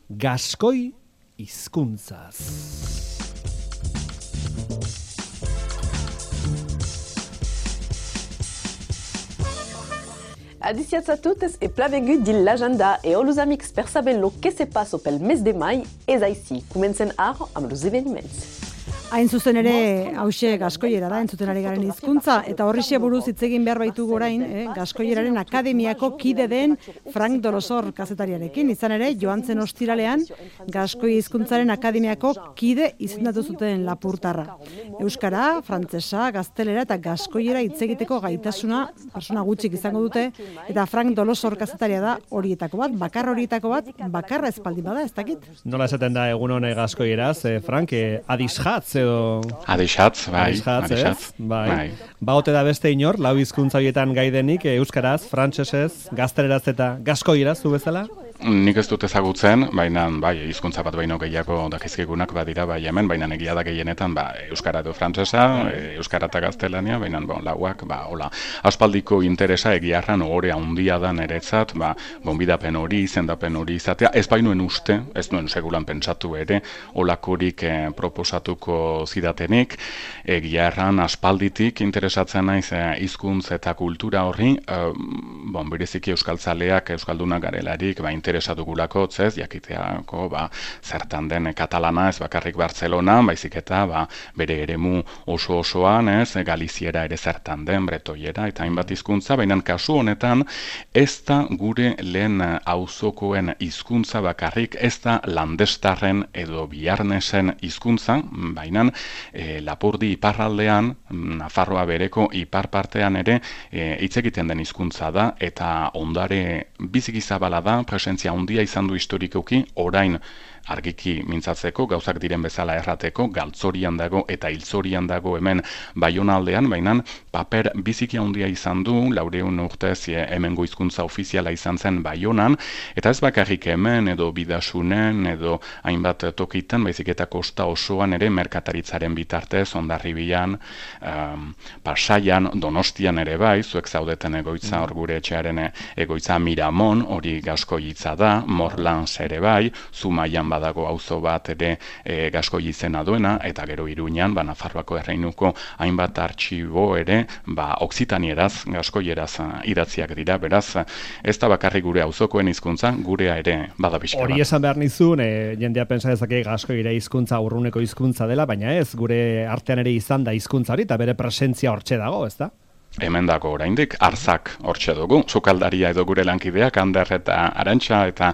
gaskoi hizkuntzaz. Adiciats a totes e plavengut dil l'agenda e olus amics per saber lo que se passo pel mes de mai ez aici. Comencen ar amb los eveniments. Hain zuzen ere, hause gaskoiera da, entzuten ari garen hizkuntza, eta horrixe buruz hitz egin behar baitugu orain, gaskoieraren akademiako kide den Frank Dolosor kazetariarekin. Izan ere, joan zen ostiralean, gaskoi hizkuntzaren akademiako kide izendatu zuten lapurtarra. Euskara, frantsesa, gaztelera eta gaskoiera hitz egiteko gaitasuna persona gutxik izango dute, eta Frank Dolosor kazetaria da horietako bat, bakarra espaldi bada, ez dakit? Nola esaten da egun hone gaskoieraz, Frank, adishatz edo... Adishatz, bai. Bai. Baote da beste inor, lau hizkuntza horietan gaidenik, euskaraz, frantsesez, gazteleraz eta gaskoieraz, zu bezala? Nik ez dut ezagutzen, baina bai, hizkuntza bat baino gehiago dakizkigunak badira bai hemen, baina egia da gehienetan euskara edo frantsesa, euskara eta gaztelania, baina lauak, hola. Aspaldiko interesa egiarran ohore handia da niretzat, gonbidapen hori, izendapen hori izatea, ez bainuen uste, ez nuen segulan pentsatu ere, olakorik proposatuko zidatenik, egiarran aspalditik interesatzen naiz hizkuntz eta kultura horri, bereziki euskaltzaleak, euskaldunak garelarik, interesatugulako, jakiteako, zertan den katalana, ez bakarrik Bartzelona, baizik eta, bere eremu oso-osoan, Galiziera ere zertan den, bretoiera, eta hainbat hizkuntza, baina kasu honetan, ez da gure lehen auzokoen hizkuntza bakarrik, ez da landestarren edo biarnesen hizkuntza, baina Lapurdi iparraldean, Nafarroa bereko ipar partean ere, hitz egiten den hizkuntza da, eta ondare biziki zabala da, presentzia handia izan du historikoki, orain argiki mintzatzeko, gauzak diren bezala errateko, galtzorian dago eta hiltzorian dago hemen Baionaldean, baina paper biziki handia izan du, 400 urtez hemengo hizkuntza ofiziala izan zen Baionan, eta ez bakarrik hemen edo Bidasunen edo hainbat tokitan, baizik eta kosta osoan ere merkataritzaren bitartez, Hondarribian, Pasaian, Donostian ere bai, zuek zaudeten egoitza hor gure etxearen egoitza Miramon, hori gaskoi hitza da, Morlans ere bai, Zumaian badago auzo bat ere gaskoi izena duena, eta gero Iruñan, Nafarroako erreinuko hainbat artxibo ere, oksitanieraz, gaskoieraz idatziak dira, beraz, ez da bakarrik gure auzokoen hizkuntza, gurea ere bada pixka bat. Hori esan behar nizun, jendea pentsa dezake gaskoira hizkuntza urruneko hizkuntza dela, baina ez, gure artean ere izan da hizkuntza hori, eta bere presentzia hortxe dago, ez da? Hemen dago oraindik arzak hortxe dugu, sukaldaria edo gure lankideak, Ander eta Arantxa eta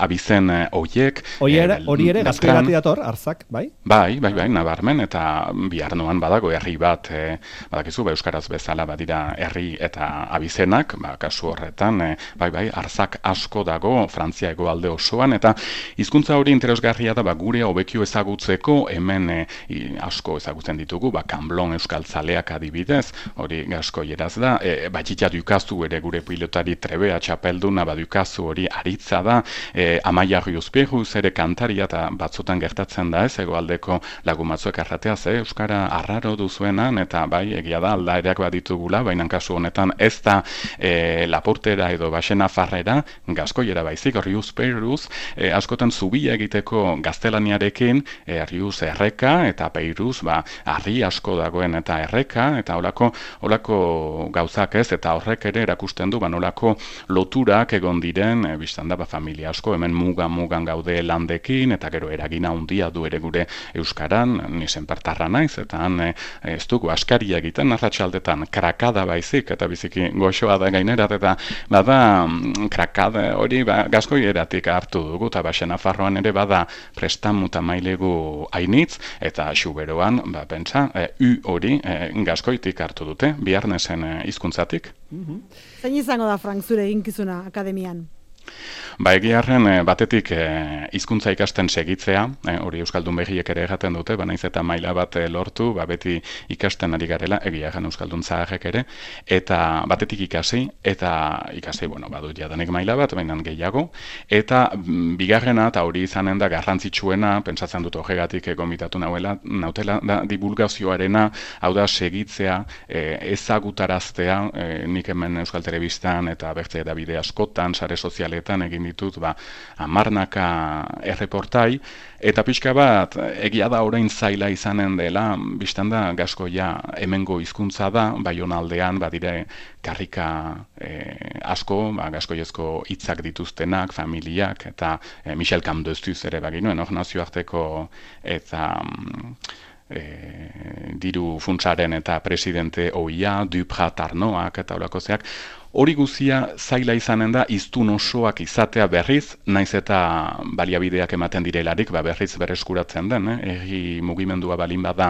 abizen oiek. Hori ere, gaskoirati dator, arzak, bai? Bai, nabarmen, eta biharnoan badago herri bat, badakizu, euskaraz bezala badira herri eta abizenak, kasu horretan, bai, arzak asko dago, Frantzia hegoalde osoan, eta hizkuntza hori interesgarria da, gure hobekio ezagutzeko, hemen asko ezagutzen ditugu, Kanblon euskaltzaleak adibidez, hori gaskoieraz da, batxitza dukazu ere gure pilotari trebea txapelduna badukazu hori aritza da, Amaia Riuzpiruz ere kantaria eta batzutan gertatzen da ez, egoaldeko lagumatzuek arrateaz, euskara arraro duzuenan, eta bai, egia da, aldaereak baditugula, baina kasu honetan ez da Lapurtera edo Baxena Farrera, gaskoiera baizik, Riuzpiruz, askotan zubia egiteko gaztelaniarekin, Riuz erreka eta Peiruz, harri asko dagoen eta erreka, eta holako gauzak ez, eta horrek ere erakusten du, nolako loturak egon diren, biztan da, familia asko, hemen mugan gaude landekin, eta gero eragina handia du ere gure euskaran, nisen partarra naiz, eta ez dugu askaria egiten, arratsaldetan krakada baizik, eta biziki goxoa da gainerat, eta bada krakada hori gaskoieratik hartu dugu, eta Baxena Farroan ere bada prestamu eta mailegu hainitz, eta Xuberoan, pentsa, hori gaskoitik hartu dute, biarnesen hizkuntzatik. Zein izango da, Frank, zure eginkizuna akademian? Egiarren batetik hizkuntza ikasten segitzea, hori Euskaldun behiek ere egaten dute, naiz eta maila bat lortu, beti ikasten ari garela, egiarren Euskaldun zaharrek ere, eta batetik ikasi, badut jadanik maila bat, baina gehiago, eta bigarrena, eta hori izanen da garrantzitsuena, pentsatzen dut horregatik gomitatu nautela, da divulgazioarena, hau da segitzea, ezagutaraztea, nik hemen Euskal Telebistan eta bertze edabide askotan, sare sozial ataletan egin ditut, amarnaka erreportai, eta pixka bat, egia da orain zaila izanen dela, biztan da, Gaskoia hemengo hizkuntza da, Baionaldean, badire karrika asko, gaskoiezko hitzak dituztenak, familiak, eta Michel Camdestuz ere baginuen, nazioarteko eta diru funtsaren eta presidente oia, Duprat Arnoak eta horako zeak, hori guzia zaila izanen da hiztun osoak izatea berriz, naiz eta baliabideak ematen direlarik, berriz bereskuratzen den, herri mugimendua balin bada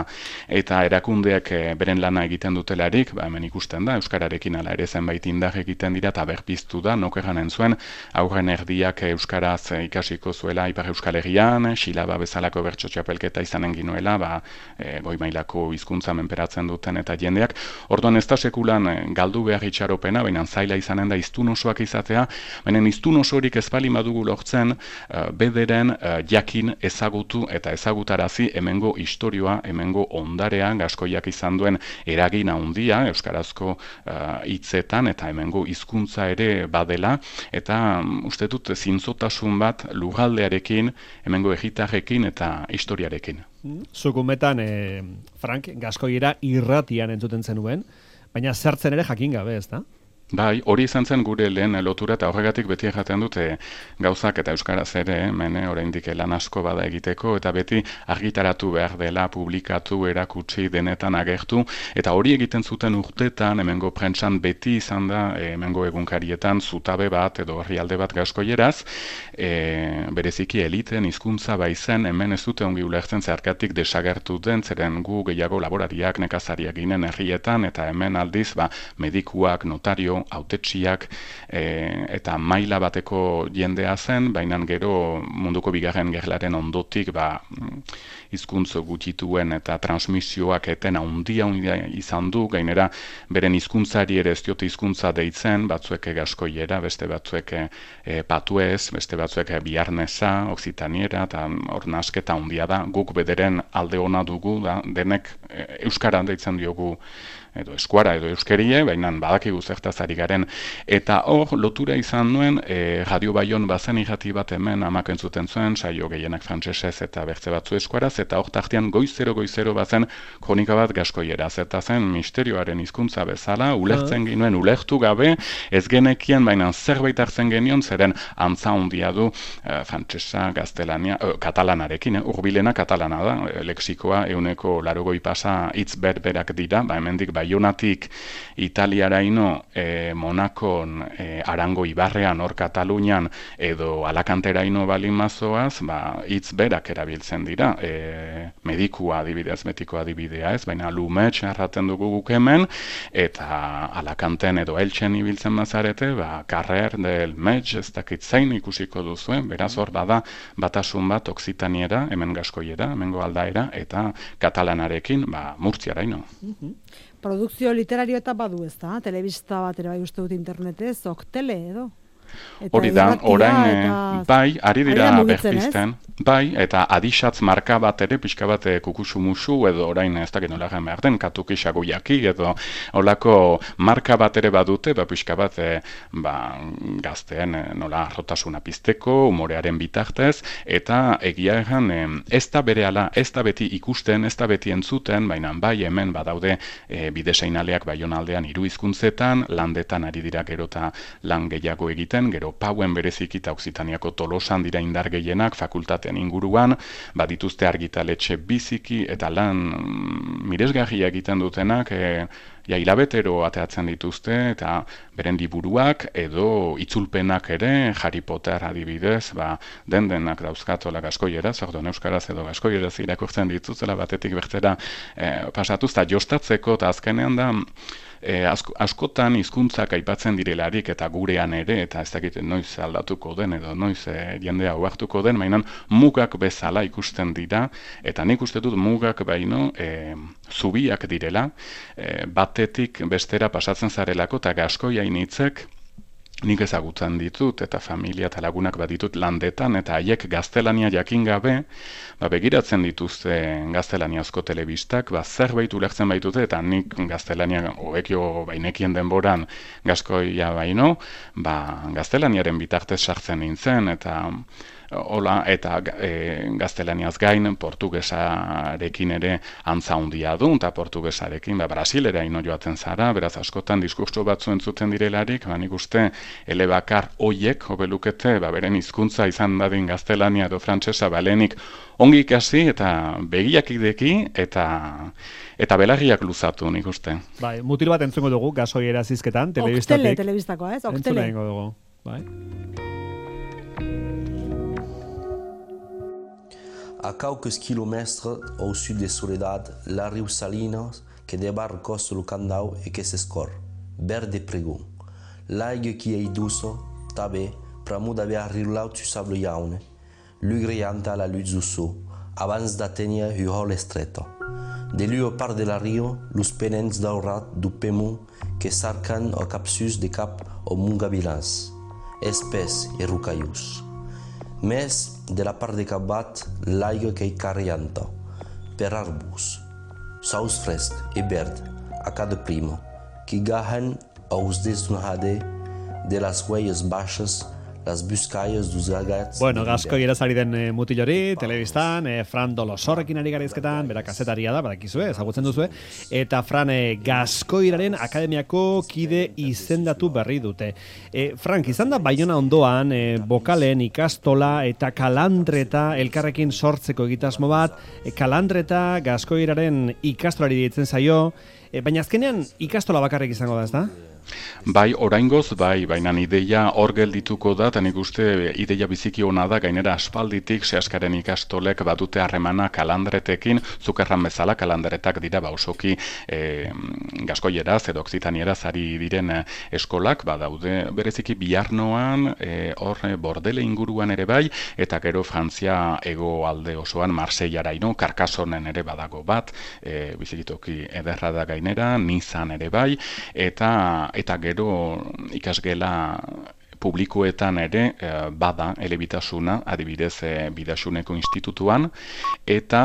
eta erakundeak beren lana egiten dutelarik, hemen ikusten da, euskararekin ala ere zenbait indar egiten dira eta berpiztu da, nokeran zuen, aurren erdiak euskaraz ikasiko zuela Ipar Euskal Herrian, Xilaba bezalako bertso txapelketa izanen ginuela, goi mailako hizkuntza menperatzen duten eta jendeak, orduan ez da sekulan galdu behar itxaropena, baina zaila izanen da hiztun osoak izatea, baina hiztun osorik ez bali badugu lortzen bederen jakin ezagutu eta ezagutarazi hemengo istorioa, hemengo ondarea, Gaskoiak izan duen eragin handia euskarazko hitzetan eta hemengo hizkuntza ere badela, eta uste dut zintzotasun bat lurraldearekin, hemengo herritarrekin eta historiarekin. Zukumetan, Frank, Gaskoiera irratian entzuten zenuen, baina zertzen ere jakin gabe, ez da? Bai, hori izan zen gure lehen lotura eta horregatik beti jaten dute gauzak eta euskaraz ere, oraindik lan asko bada egiteko eta beti argitaratu behar dela, publikatu, erakutsi, denetan agertu, eta hori egiten zuten urtetan, hemengo prentsan beti izan da, hemengo egunkarietan zutabe bat edo herrialde bat gaskoieraz, bereziki eliten hizkuntza baizen, hemen ez dute ongi ulertzen zeharkatik desagertu den, zeren gu gehiago laborariak, nekazariak ginen herrietan, eta hemen aldiz, medikuak, notario, hautetsiak eta maila bateko jendea zen, baina gero munduko bigarren gerlaren ondotik hizkuntza gutituen eta transmisioak eten handia izan du, gainera beren hizkuntzari ere ez diote hizkuntza deitzen, batzuek gaskoiera, beste batzuek patuez, beste batzuek biarnesa, oksitaniera, eta hor nasketa handia da, guk bederen alde ona dugu, denek euskara deitzen diogu edo eskuara edo euskerie, baina badakigu zertaz ari garen. Eta hor, lotura izan nuen, Radio Baion bazen irrati bat hemen amak entzuten zuen, saio gehienak frantsesez eta bertze batzu eskuaraz, eta hor tartean goizero bazen kronika bat gaskoieraz, eta zen misterioaren hizkuntza bezala, ulertzen ginuen, ulertu gabe, ez genekien, baina zerbait hartzen genion, zeren antza handia du frantsesa, gaztelania, katalanarekin, urbilena katalana da, lexikoa 180 pasa hitz berberak dira, hemendik Baionatik Italiaraino, Monakon, Arango Ibarrean, hor Katalunian, edo Alakanteraino balin mazoaz, hitz berak erabiltzen dira. Medikua adibidez, metiko adibidea ez, baina lumetx erraten dugu guk hemen, eta Alakanten edo Eltsen ibiltzen mazarete, karrer del metx, ez dakit zein ikusiko duzuen, beraz hor bada batasun bat oksitaniera, hemen gaskoiera, hemengo aldaera, eta katalanarekin, murtziaraino. Produkzio literario eta badu ez da, telebista bat ere bai uste dut internetez, oktele edo? Hori da, orain, bai, ari dira berpizten, bai, eta adixatz marka bat ere, pixka bat kukusumusu, edo orain ez dakit nola behar den, katukisago jaki, edo olako marka bat ere badute, pixka bat gazteen nola rotasuna pizteko, humorearen bitartez, eta egia egan, ez da berehala, ez da beti ikusten, ez da beti entzuten, baina bai hemen badaude bideseinaleak Baionaldean 3 hizkuntzetan, landetan ari dira gero eta lan gehiago egiten, gero Pauen bereziki eta Oksitaniako Tolosan dira indar gehienak fakultatean inguruan, badituzte argitaletxe biziki eta lan miresgarria egiten dutenak, hilabetero ateatzen dituzte, eta beren liburuak edo itzulpenak ere, Harry Potter adibidez, denak dauzkatola gaskoieraz, orduan euskaraz edo gaskoieraz irakurtzen dituzela batetik bertera pasatuz, eta jostatzeko, eta azkenean da, askotan hizkuntzak aipatzen direlarik eta gurean ere, eta ez dakit noiz aldatuko den edo noiz jendea oartuko den, baina mugak bezala ikusten dira, eta nik uste dut mugak baino zubiak direla, batetik bestera pasatzen zarelako, eta gaskoia initzek nik ezagutzen ditut eta familia eta lagunak baditut landetan eta haiek gaztelania jakin gabe, begiratzen dituzte gaztelaniazko telebistak, zerbait ulertzen baitute eta nik gaztelania hobekio bainekien denboran Gaskoia baino, gaztelaniaren bitartez sartzen nintzen eta hola, eta gaztelaniaz gain portugesarekin ere antza handia du, eta portugesarekin Brasilera ino joaten zara, beraz askotan diskurtso batzu entzuten direlarik, nik uste elebakar hoiek, hobelukete, beren hizkuntza izan dadin gaztelania edo frantsesa balenik ongi ikasi eta begiak ideki eta belarriak luzatu, nik uste. Bai, mutil bat entzungo dugu, Gaskoiera zizketan, telebistatik. Oktele telebistakoa, ez? Oktele. Entzungo dugu, bai. À quelques kilomètres au sud de Soledad, la riu Salinas que débarque sur le Candau et que s'escorre, verde pregum. L'aigue qui est douce, tabé, pramud avea rirlau tu sable iaune, lugrianta la luz usso, abans d'atteindre il hall estreto. De lui au part de la rio, los penents daurat du pemu que sarcan au capsus de cap au mungabilans, espès et rucaius. Més de la part de Cabat, l'aigua que hi carrianta, per arbus, saus fresc i verd a cada primo, que gahen aos desnujade de las huellas baixas, las buscalles dos gagats... Bueno, Gaskoieraz ari den mutilori, telebistan, Fran Dolosorrekin ari garizketan, bera kazetaria da, badakizue, ezagutzen duzue, eta Fran Gaskoiraren akademiako kide izendatu berri dute. Frank, izan da Baiona ondoan, bokalen ikastola eta kalandreta elkarrekin sortzeko egitasmo bat, kalandreta Gaskoiraren ikastolari ditzen zaio, baina azkenean ikastola bakarrik izango da, ez da? Bai, oraingoz, baina ideia hor geldituko da, eta nik uste ideia biziki ona da, gainera aspalditik sehaskaren ikastolek badute harremana kalandretekin, zukerran bezala kalandretak dira osoki Gaskoieraz edo Okzitanieraz ari diren eskolak, daude bereziki Biarnoan, hor Bordele inguruan ere bai, eta gero Frantzia hegoalde osoan Marseillaraino, Karkasonen ere badago bat, bizikitoki ederra da gainera, Nizan ere bai, eta gero ikasgela publikoetan ere bada elebitasuna, adibidez Bidasuneko institutuan, eta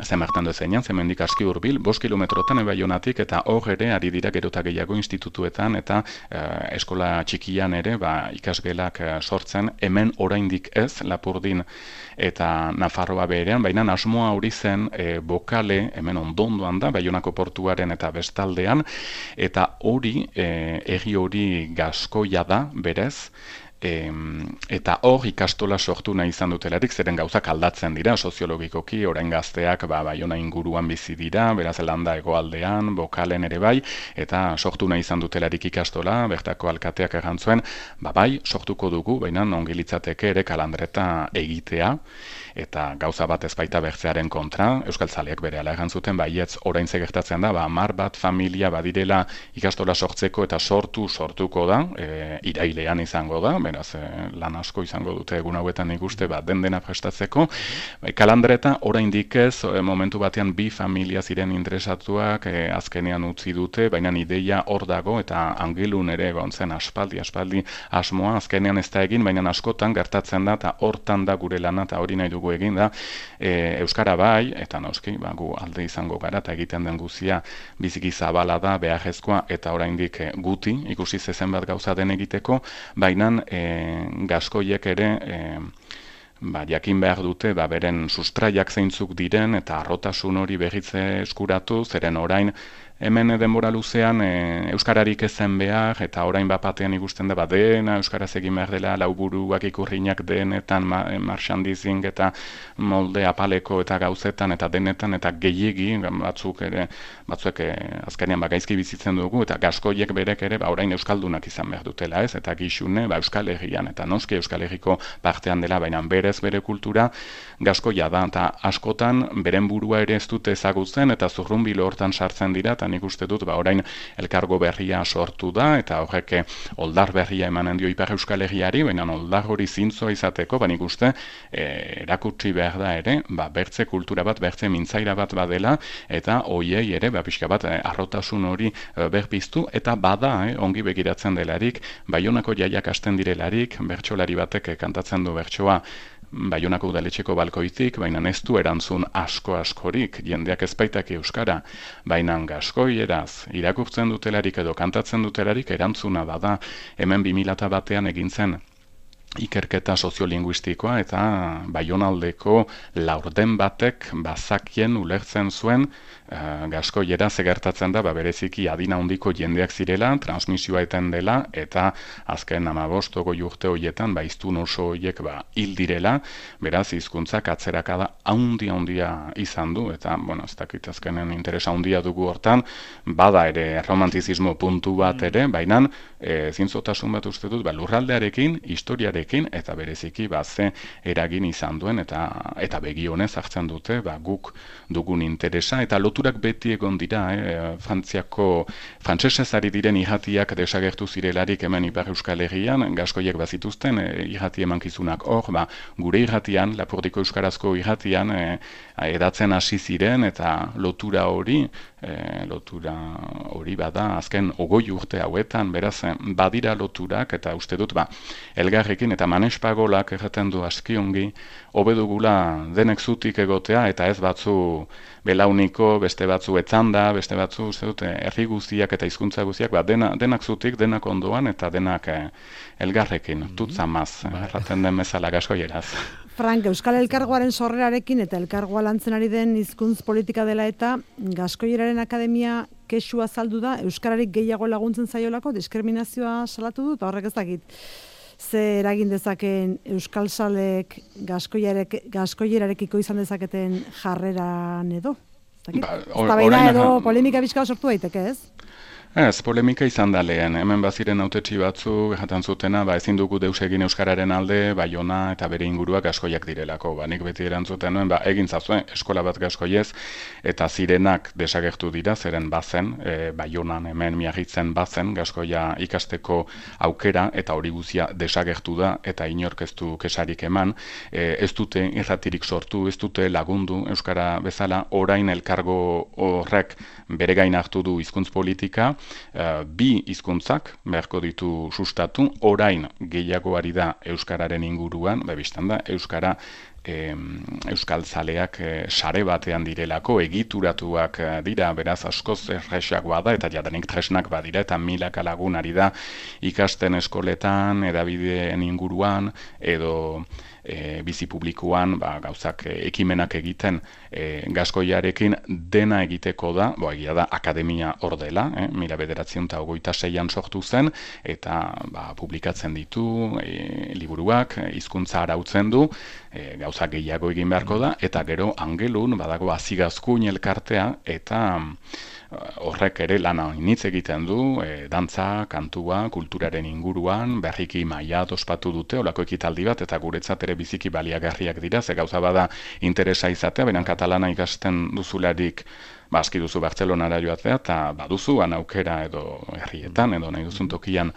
zemartan duzeinan, zemendik aski hurbil, 5 kilometrotan Baionatik, eta hor ere ari dira gerota gehiago institutuetan, eta eskola txikian ere ikasgelak sortzen, hemen oraindik ez, Lapurdin eta Nafarroa berean, baina asmoa hori zen bokale, hemen ondondoan da, Baionako portuaren eta bestaldean, eta hori, egi hori Gaskoia da, berez, eta hor ikastola sortu nahi izan dutelarik, zeren gauzak aldatzen dira, soziologikoki, orain gazteak Baiona inguruan bizi dira, beraz landa hegoaldean, bokalen ere bai, eta sortu nahi izan dutelarik ikastola, bertako alkateak erantzuen, bai, sortuko dugu, baina ongi litzateke ere kalandreta egitea, eta gauza bat ez baita bertzearen kontra, euskaltzaleak berehala erantzuten, baietz orain gertatzen da, 10 bat familia badirela ikastola sortzeko eta sortuko da, irailean izango da, beraz lan asko izango dute egun hauetan ikuste, dena prestatzeko. Kalandreta oraindik ez, momentu batean 2 familia ziren interesatuak, azkenean utzi dute, baina ideia hor dago, eta Angelun ere gontzen aspaldi asmoa, azkenean ez da egin, baina askotan gertatzen da, eta hortan da gure lana, eta hori nahi dugu egin da, euskara bai, eta noski, gu alde izango gara, eta egiten den guzia biziki zabala da, beharrezkoa, eta oraindik guti, ikusi zezen bat gauza den egiteko, baina Gaskoiek ere jakin behar dute, beren sustraiak zeintzuk diren, eta arrotasun hori berritze eskuratu, zeren orain hemen denbora luzean euskararik ezen behar, eta orain bapatean ikusten da dena euskaraz egin behar dela, lauburuak ikurriñak denetan, marchandising eta molde apaleko eta gauzetan eta denetan, eta gehiegi batzuek azkenean gaizki bizitzen dugu, eta Gaskoiek berek ere orain euskaldunak izan behar dutela, ez? Eta gixune Euskal Herrian, eta noski Euskal Herriko partean dela, baina berez bere kultura Gaskoia da, eta askotan beren burua ere ez dute ezagutzen, eta zurrunbilo hortan sartzen dira, eta nik uste dut, orain elkargo berria sortu da, eta horrek oldar berria emanen dio Ipar Euskal Herriari, baina oldar hori zintzoa izateko, nik uste erakutsi behar da ere, bertze kultura bat, bertze mintzaira bat badela, eta hoiei ere, pixka bat, arrotasun hori berpiztu, eta bada, ongi begiratzen delarik, Baionako jaiak hasten direlarik, bertsolari batek kantatzen du bertsoa, Baionako udaletxeko balkoitik, baina ez du erantzun askorik, jendeak ezpaitak euskara, baina gaskoieraz irakurtzen dutelarik edo kantatzen dutelarik erantzuna bada, hemen 2001 egin zen ikerketa soziolinguistikoa eta Baionaldeko laurden batek bazakien ulertzen zuen gaskoiera gertatzen da, bereziki adina handiko jendeak zirela, transmisioa eten dela, eta azken 15 urte horietan, hiztun oso horiek hil direla, beraz hizkuntzak atzerakada handia izan du, eta, ez dakit azkenen interesa handia dugu hortan, bada ere romantizismo puntu bat ere, baina zintzotasun bat uste dut, lurraldearekin, historiarekin, eta bereziki ze eragin izan duen, eta begionez hartzen dute, guk dugun interesa, eta loturak beti egon dira, frantsesez ari diren irratiak desagertu zirelarik hemen Ipar Euskal Herrian, gaskoiek bazituzten irrati emankizunak hor, gure irratian, Lapurdiko euskarazko irratian edatzen hasi ziren, eta lotura hori bada azken 20 urte hauetan, beraz badira loturak, eta uste dut elgarrekin eta manespagolak erraten du askiongi, hobedugula denek zutik egotea, eta ez batzu belauniko, beste batzu etzanda, beste batzu, uste dut, herri guztiak eta hizkuntza guztiak, denak zutik, denak ondoan, eta denak elgarrekin, tutzamaz, erraten den bezala gaskoieraz. Frank, Euskal Elkargoaren sorrerarekin eta elkargoa lantzen ari den hizkuntz politika dela eta Gaskoieraren Akademia kexua azaldu da, euskararik gehiago laguntzen zaiolako, diskriminazioa salatu du, eta horrek ez dakit. Ze eragin dezaken euskalzalek gaskoierarekiko izan dezaketen jarreran edo? Eztabaida edo polemika bizka sortu daiteke, ez? Ez, polemika izan da lehen, hemen baziren hautetsi batzu, jaten zutena, ezin dugu deus egin euskararen alde, Baiona eta bere inguruak gaskoiak direlako. Nik beti erantzuten nuen, egin zazuen eskola bat gaskoiez, eta zirenak desagertu dira, zeren bazen, Baionan hemen miagitzen bazen, gaskoia ikasteko aukera, eta hori guzia desagertu da, eta inork ez du kesarik eman, ez dute irratirik sortu, ez dute lagundu euskara bezala, orain elkargo horrek bere gain hartu du hizkuntz politika, bi hizkuntzak beharko ditu sustatu, orain gehiago ari da euskararen inguruan, biztan da, euskara euskaltzaleak sare batean direlako, egituratuak dira, beraz askoz erresagoa da, eta jadanik tresnak badira, eta milaka lagun ari da ikasten eskoletan, edabideen inguruan, edo bizi publikoan gauzak ekimenak egiten gaskoiarekin dena egiteko da, egia da akademia hor dela, 1926an sortu zen, eta publikatzen ditu liburuak, hizkuntza arautzen du, gauzak gehiago egin beharko da, eta gero angelun badago azigazkuin elkartea, eta horrek ere lana initz egiten du, dantza, kantua, kulturaren inguruan, berriki maila ospatu dute, olako ekitaldi bat, eta guretzat ere biziki baliagarriak dira, ze gauza bada interesa izatea, beran katalana ikasten duzularik, aski duzu Bartzelonara joatea, eta baduzu aukera edo herrietan, edo nahi duzun tokian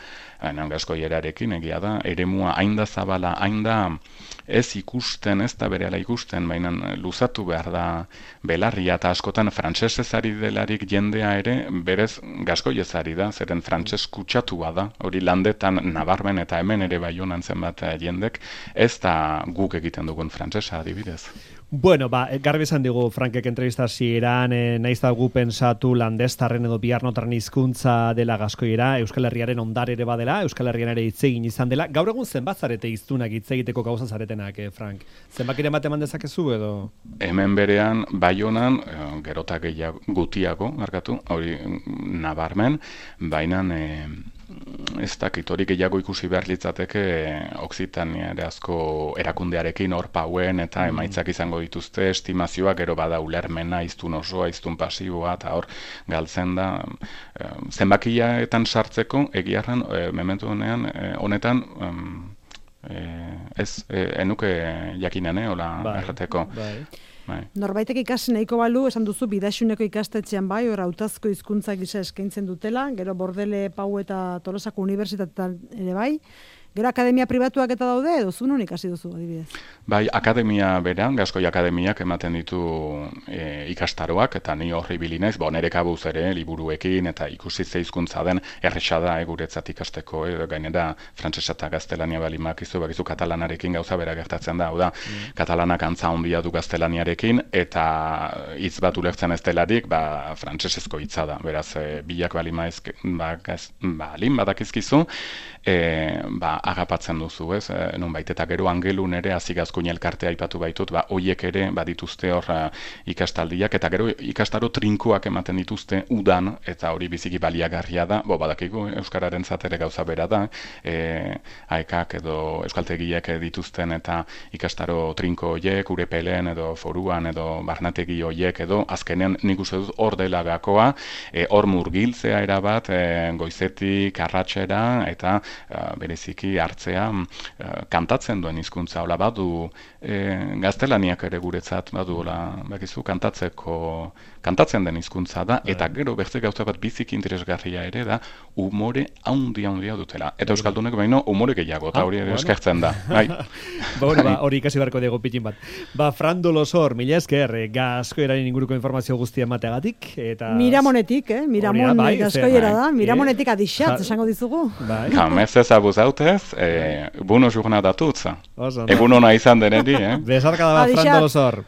gaskoierarekin, egia da, eremua hain da zabala, hain da ez ikusten, ez da berehala ikusten, baina luzatu behar da belarria, eta askotan frantsesez ari delarik jendea ere, berez gaskoiez ari da, zeren frantses kutsatua da, hori landetan nabarmen eta hemen ere Baionan zenbat jendek, ez da guk egiten dugun frantsesa adibidez. Bueno, garbi esan digu Frankek entrevistasieran, naiz da gu pensatu landestarren edo biarnotarren hizkuntza dela gaskoiera, Euskal Herriaren ondare ere badela, Euskal Herrian ere hitz egin izan dela. Gaur egun zenbat zarete hiztunak hitz egiteko gauza zaretenak, Frank? Zenbakiren bat eman dezakezu edo? Hemen berean, Baionan, gerota gutiago, hori nabarmen, baina ez dakit hori gehiago ikusi behar litzateke Okzitaniarazko erakundearekin hor pauen eta emaitzak izango dituzte, estimazioa gero bada ulermena, hiztun osoa, hiztun pasiboa, eta hor galtzen da zenbakiaetan sartzeko egiarran mementu honetan enuke jakinen, hola errateko. Norbaitek ikasi nahiko balu, esan duzu, Bidaxuneko ikastetxean bai, hor hautazko hizkuntza gisa eskaintzen dutela, gero Bordele, Pau eta Tolosako unibertsitatean ere bai, gero akademia pribatuak eta daude, edo zu non ikasi duzu, adibidez? Bai, akademia beran, Gaskoi Akademiak ematen ditu ikastaroak, eta ni horri bilinez, nire kabuz ere, liburuekin, eta ikusi ze hizkuntza den, erresa da, guretzat ikasteko, gainera, frantsesa eta gaztelania balimakizu, bakizu katalanarekin gauza bera gertatzen da, hau da, katalanak antza handia du gaztelaniarekin, eta hitz bat ulertzen ez delarik, frantsesezko hitza da, beraz, bilak balin badakizkizu, agapatzen duzu, ez? Nonbait, eta gero angelun ere azigazkoin elkartea aipatu baitut, hoiek ere badituzte hor ikastaldiak, eta gero ikastaro trinkoak ematen dituzte udan, eta hori biziki baliagarria da, badakigu euskararen zatere gauza bera da, aekak edo euskaltegiek dituzten eta ikastaro trinko horiek, urepelen edo foruan edo barnategi horiek edo, azkenen nik uste dut hor dela gakoa, hor murgiltzea erabat, goizetik, arratsera, eta bereziki hartzea kantatzen duen hizkuntza, hola badu gaztelaniak ere guretzat badu bakizu kantatzen den hizkuntza da, eta gero beste gauza bat biziki interesgarria ere da umore handia dutela. Eta euskaldunek baino umore gehiago, eta hori ere eskertzen da. Hori ikasi beharko dugu pitin bat. Fran Dolosor, mila esker, Gaskoieraren inguruko informazio guztia emateagatik. Miramonetik, Miramon Gaskoiera da, Miramonetik adixat, esango dizugu. Jamez ez abuzautez, buno jornada tutza. Egun ona izan denedi, Besarkada bat, Fran Dolosor.